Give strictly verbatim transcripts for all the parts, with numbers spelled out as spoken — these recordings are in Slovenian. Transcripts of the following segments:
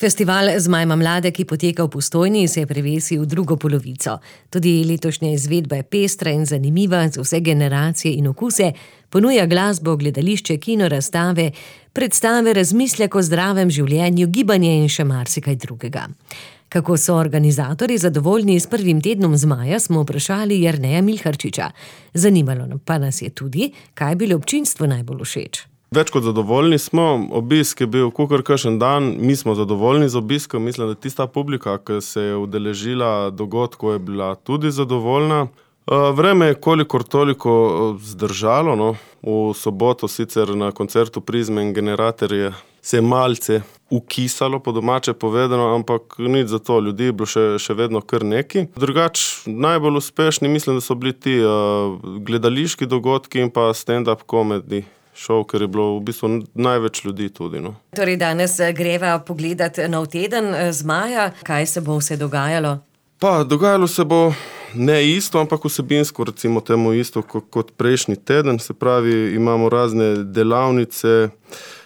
Festival Zmajma mlade, ki poteka v Postojni, se je prevesil v drugo polovico. Tudi letošnja izvedba je pestra in zanimiva za vse generacije in okuse, ponuja glasbo, gledališče, kino, razstave, predstave, razmislek o zdravem življenju, gibanje in še marsikaj drugega. Kako so organizatorji zadovoljni s prvim tednom Zmaja, smo vprašali Jerneja Milharčiča. Zanimalo pa nas je tudi, kaj je bilo občinstvu najbolj všeč. Več kot zadovoljni smo, obisk je bil kakor kakšen dan, mi smo zadovoljni z obiskom, mislim, da tista publika, ki se je udeležila dogodkov, je bila tudi zadovoljna. Vreme je kolikor toliko zdržalo, no. V soboto sicer na koncertu Prizme in Generatorje se je malce ukisalo, po domače povedano, ampak nič za to, ljudi je bilo še, še vedno kar neki. Drugač, najbolj uspešni mislim, da so bili ti uh, gledališki dogodki in pa stand-up comedy šov, ker je bilo v bistvu največ ljudi tudi. No. Torej danes greva pogledat nov teden Zmaja. Kaj se bo vse dogajalo? Pa, dogajalo se bo ne isto, ampak vsebinsko, recimo temu isto kot prejšnji teden. Se pravi, imamo razne delavnice,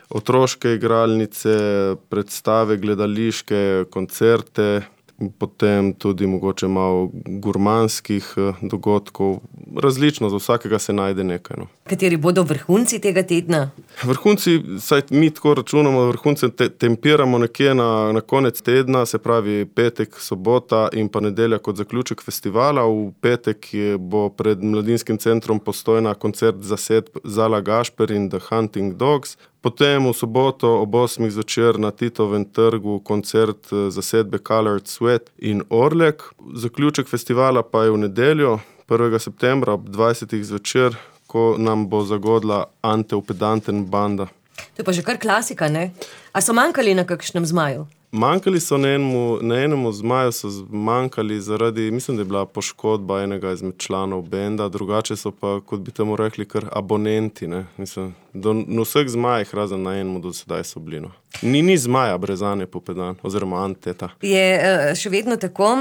otroške igralnice, predstave, gledališke, koncerte, potem tudi mogoče malo gurmanskih dogodkov. Različno, za vsakega se najde nekaj. No. Kateri bodo vrhunci tega tedna? Vrhunci, saj mi tako računamo, vrhunce te, tempiramo nekje na, na konec tedna, se pravi petek, sobota in pa nedelja kot zaključek festivala. V petek je, bo pred Mladinskim centrom Postojna koncert zasedb Zala Gašper in The Hunting Dogs. Potem v soboto ob osmih zvečer na Titovem trgu koncert zasedbe Colored Sweat in Orlek. Zaključek festivala pa je v nedeljo, prvega septembra ob dvajsetih zvečer, ko nam bo zagodla Anteupedanten banda. To je pa že kar klasika, ne? A so manjkali na kakšnem Zmaju? Manjkali so na enemu, na enemu Zmaju so manjkali zaradi, mislim, da je bila poškodba enega izmed članov benda, drugače so pa, kot bi temu rekli, kar abonenti, ne. Mislim, do, na vseh Zmajih razen na enemu do sedaj so bili, no. Ni, ni Zmaja brez Anteupedan, oziroma Anteta. Je še vedno tako,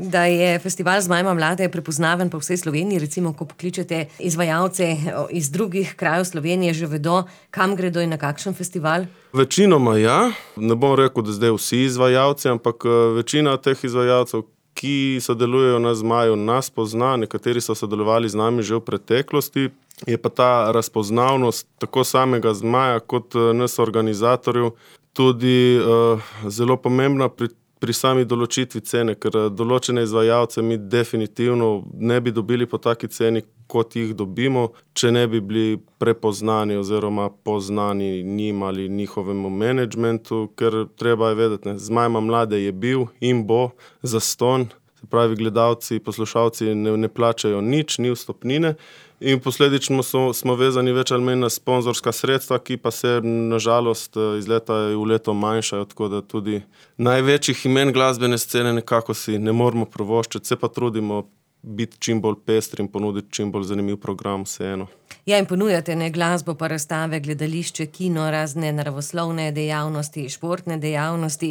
da je festival Zmajma mlade prepoznaven po vsej Sloveniji, recimo, ko pokličete izvajalce iz drugih krajev Slovenije, že vedo, kam gredo in na kakšen festival? Večinoma ja, ne bom rekel, da zdaj vsi izvajalci, ampak večina teh izvajalcev, ki sodelujejo na Zmaju, nas pozna, nekateri so sodelovali z nami že v preteklosti, je pa ta razpoznavnost tako samega Zmaja kot nas organizatorjev tudi uh, zelo pomembna pri, pri sami določitvi cene, ker določene izvajalce mi definitivno ne bi dobili po taki ceni, kot jih dobimo, če ne bi bili prepoznani oziroma poznani njim ali njihovemu menedžmentu, ker treba je vedeti, ne, Zmajma mlade je bil in bo zastonj, se pravi gledalci, poslušalci ne, ne plačajo nič, ni vstopnine in posledično so, smo vezani več ali manj na sponzorska sredstva, ki pa se nažalost iz leta v leto manjšajo, tako da tudi največjih imen glasbene scene nekako si ne moramo privoščiti, se pa trudimo biti čim bolj pestri in ponuditi čim bolj zanimiv program vseeno. Ja, in ponujate ne glasbo, pa razstave, gledališče, kino, razne naravoslovne dejavnosti, športne dejavnosti.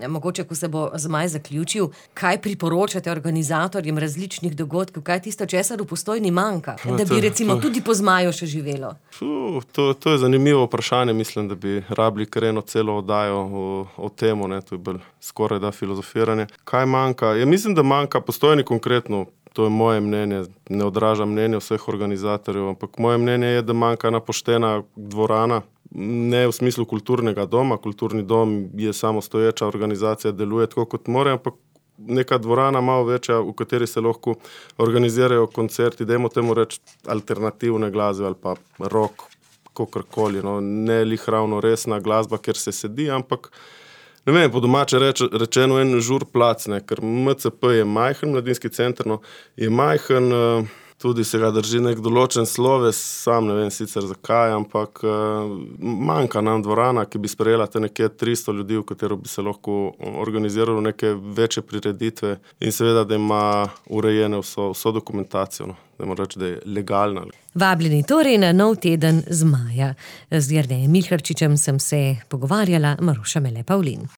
Mogoče, ko se bo Zmaj zaključil, kaj priporočate organizatorjem različnih dogodkov, kaj tisto, česar v Postojni manjka, da bi recimo tudi po Zmaju še živelo? Fuh, to, to je zanimivo vprašanje, mislim, da bi rabili kar eno celo oddajo o, o temu, ne, to je bolj skoraj da filozofiranje. Kaj manjka? Ja, mislim, da manjka Postojni konkretno. To je moje mnenje, ne odraža mnenje vseh organizatorjev, ampak moje mnenje je, da manjka ena poštena dvorana, ne v smislu kulturnega doma, kulturni dom je samostoječa organizacija, deluje tako kot more, ampak neka dvorana malo večja, v kateri se lahko organizirajo koncerti, dajmo temu reči alternativne glasbe ali pa rock, kakorkoli, no, ne lih ravno resna glasba, kjer se sedi, ampak ne vem, po domače reč, rečeno en žur plac, ne, ker M C P je majhen, Mladinski center, no, je majhen, tudi se ga drži nek določen sloves, sam ne vem sicer zakaj, ampak manjka nam dvorana, ki bi sprejela te nekje tristo ljudi, v katero bi se lahko organiziralo neke večje prireditve in seveda, da ima urejene vso, vso dokumentacijo, no, da moram reči, da je legalna. Vabljeni torej na nov teden Zmaja. Z Jernejem Milharčičem sem se pogovarjala, Maruša Mele Pavlin.